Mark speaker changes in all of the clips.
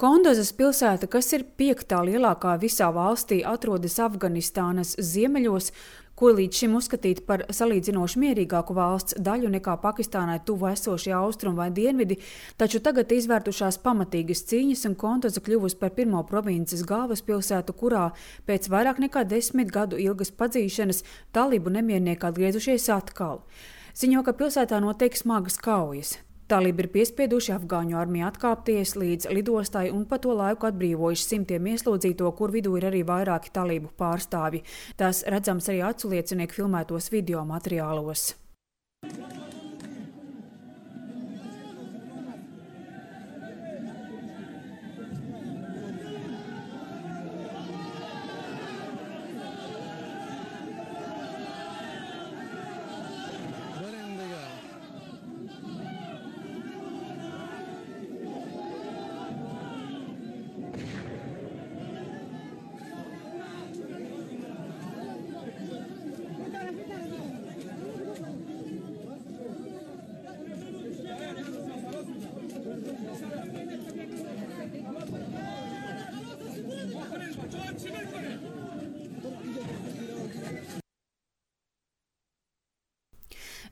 Speaker 1: Kondozas pilsēta, kas ir 5. lielākā visā valstī, atrodas Afganistānas ziemeļos, ko līdz šim uzskatīta par salīdzinoši mierīgāku valsts daļu nekā Pakistānai tuvu esošie austrumi vai dienvidi, taču tagad izvērtušās pamatīgas cīņas un Kondoza kļuvusi par pirmo provinces galvaspilsētu, kurā pēc vairāk nekā 10 gadu ilgas padzīšanas talibu nemiernieki atgriezušies atkal. Ziņo, ka pilsētā notiek smagas kaujas. Talibi ir piespieduši afgāņu armiju atkāpties līdz lidostai un pa to laiku atbrīvojuši simtiem ieslodzīto, kur vidū ir arī vairāki talibu pārstāvji. Tas redzams arī aculiecinieku filmētos video materiālos.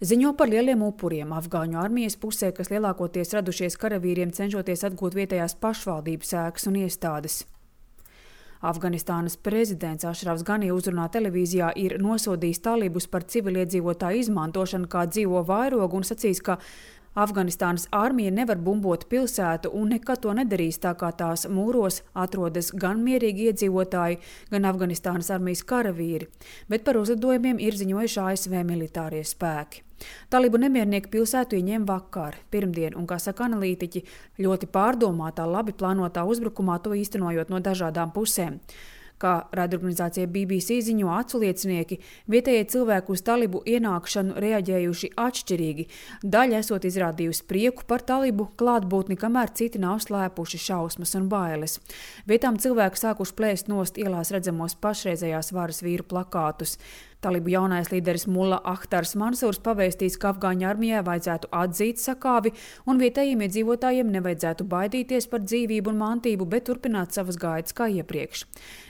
Speaker 1: Ziņo par lieliem upuriem afgāņu armijas pusē, kas lielākoties radušies karavīriem cenšoties atgūt vietējās pašvaldības ēkas un iestādes. Afganistānas prezidents Ašrafs Gani uzrunā televīzijā ir nosodījis talibus par civiliedzīvotāju izmantošanu kā dzīvo vairogu un sacījis, ka Afganistānas armija nevar bumbot pilsētu un nekad to nedarīs, tā kā tās mūros atrodas gan mierīgi iedzīvotāji, gan Afganistānas armijas karavīri, bet par uzlidojumiem ir ziņojuši ASV militārie spēki. Talibu nemiernieki pilsētu ieņēma vakar, pirmdien, un, kā saka analītiķi, ļoti pārdomātā, labi plānotā uzbrukumā to īstenojot no dažādām pusēm. Kā raidorganizācija BBC ziņo aculiecinieki, vietējie cilvēki uz talibu ienākšanu reaģējuši atšķirīgi. Daļa esot izrādījusi prieku par talibu klātbūtni, kamēr citi nav slēpuši šausmas un bailes. Vietām cilvēki sākuši plēst nost ielās redzamos pašreizējās varas vīru plakātus. Talibu jaunais līderis Mulla Ahtars Mansūrs pavēstīs, ka afgāņu armijai vajadzētu atzīt sakāvi un vietējiem iedzīvotājiem nevajadzētu baidīties par dzīvību un mantību, bet turpināt savas gaitas kā iepriekš.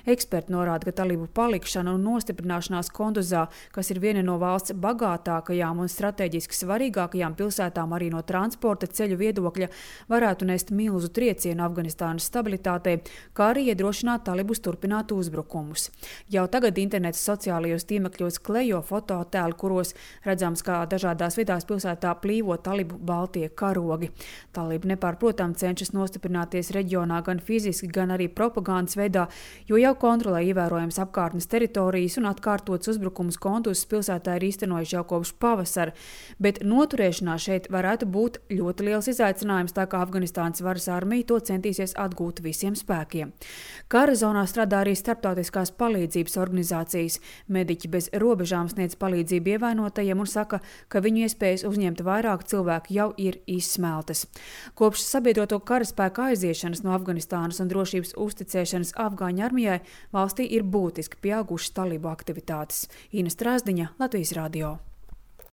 Speaker 1: Eksperti norāda, ka talibu palikšana un nostiprināšanās Kondozā, kas ir viena no valsts bagātākajām un strateģiski svarīgākajām pilsētām arī no transporta ceļu viedokļa, varētu nest milzu triecienu Afganistānas stabilitātei, kā arī iedrošināt talibus turpināt uzbrukumus. Jau tagad internets sociālajos tīmekļos klejo fototēli, kuros redzams, kā dažādās vietās pilsētā plīvo talibu baltie karogi. Talibi nepārprotam cenšas nostiprināties reģionā gan fiziski, gan arī propagandas veidā, jo jau kontrolē ievērojams apkārtnes teritorijas un atkārtots uzbrukums Konduzas pilsētā ir īstenojuši jau kopš pavasara, bet noturēšanās šeit varētu būt ļoti liels izaicinājums, tā kā Afganistānas varas armija to centīsies atgūt visiem spēkiem. Kara zonā strādā arī starptautiskās palīdzības organizācijas. Mediķi bez robežām sniedz palīdzību ievainotajiem un saka, ka viņu iespējas uzņemt vairāk cilvēku jau ir izsmeltas. Kopš sabiedroto karaspēka aiziešanas no Afganistānas un drošības uzticēšanas afgāņu armijai valstī ir būtiski pieaugušas talibu aktivitātes. Ina Strāzdiņa, Latvijas radio.